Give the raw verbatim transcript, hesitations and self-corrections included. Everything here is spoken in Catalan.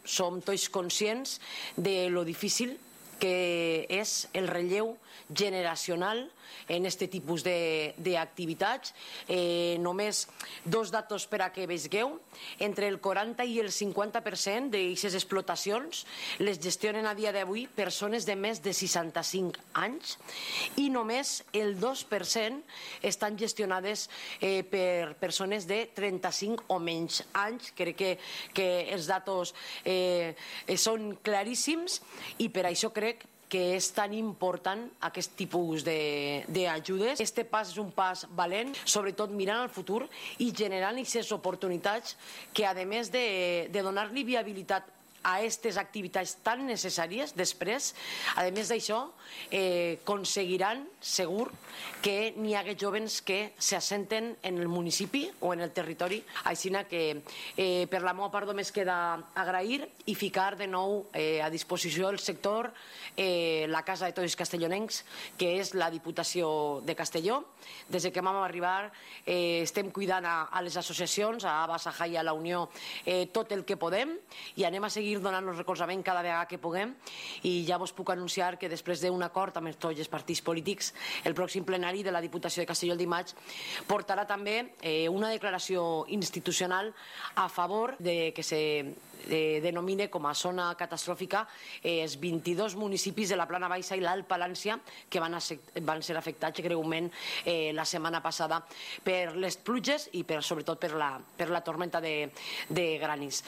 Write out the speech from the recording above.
som tots conscients de lo difícil que és el relleu generacional en aquest tipus d'activitats. Eh, només dos datos per a que veieu. Entre el quaranta i el cinquanta per cent d'aquestes explotacions les gestionen a dia d'avui persones de més de seixanta-cinc anys i només el dos per cent estan gestionades eh, per persones de trenta-cinc o menys anys. Crec que, que els datos eh, són claríssims i per això crec que és tan important aquest tipus d'ajudes. Este pas és un pas valent, sobretot mirant al futur i generant aquestes oportunitats que, a més de, de donar-li viabilitat a aquestes activitats tan necessàries després, a més d'això, eh, aconseguiran segur que n'hi hagi joves que s'assenten en el municipi o en el territori. Així que eh, per la meva part només queda agrair i ficar de nou eh, a disposició del sector eh, la Casa de Tots els Castellonencs, que és la Diputació de Castelló. Des que vam arribar eh, estem cuidant a, a les associacions, a Aba, Saja i a la Unió, eh, tot el que podem i anem a seguir donant-nos recolzament cada vegada que puguem i ja vos puc anunciar que després d'un acord amb tots els partits polítics el pròxim plenari de la Diputació de Castelló el dimarts portarà també eh, una declaració institucional a favor de que se eh, denomine com a zona catastròfica eh, els vint-i-dos municipis de la Plana Baixa i l'Alt Palància que van, a, van ser afectats greument eh, la setmana passada per les pluges i per, sobretot per la, per la tormenta de, de granis.